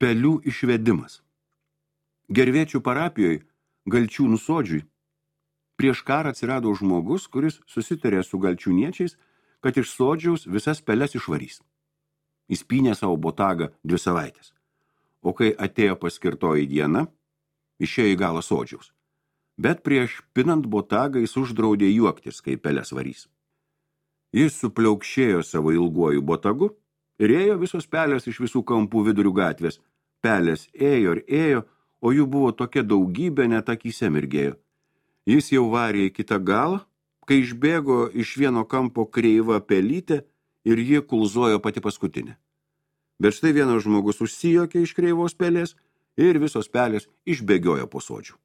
Pelių išvedimas. Gervėčių parapijoje, Galčiūnų sodžiui, prieš karą atsirado žmogus, kuris susitarė su galčiūniečiais, kad iš sodžiaus visas peles išvarys. Įspynė savo botagą 2 savaitės. O kai atėjo paskirtoji diena, išėjo į galą sodžiaus. Bet prieš pinant botagą jis uždraudė juoktis, kai peles varys. Jis supliaukšėjo savo ilguoju botagu ir ėjo visos pelės iš visų kampų vidurių gatvės. Pelės ėjo ir ėjo, o jų buvo tokia daugybė, net akyse mirgėjo. Jis jau varė į kitą galą, kai išbėgo iš vieno kampo kreiva pelytė ir ji kulzojo pati paskutinė. Bet štai vienas žmogus užsijokė iš kreivos pelės ir visos pelės išbėgiojo po sodžių.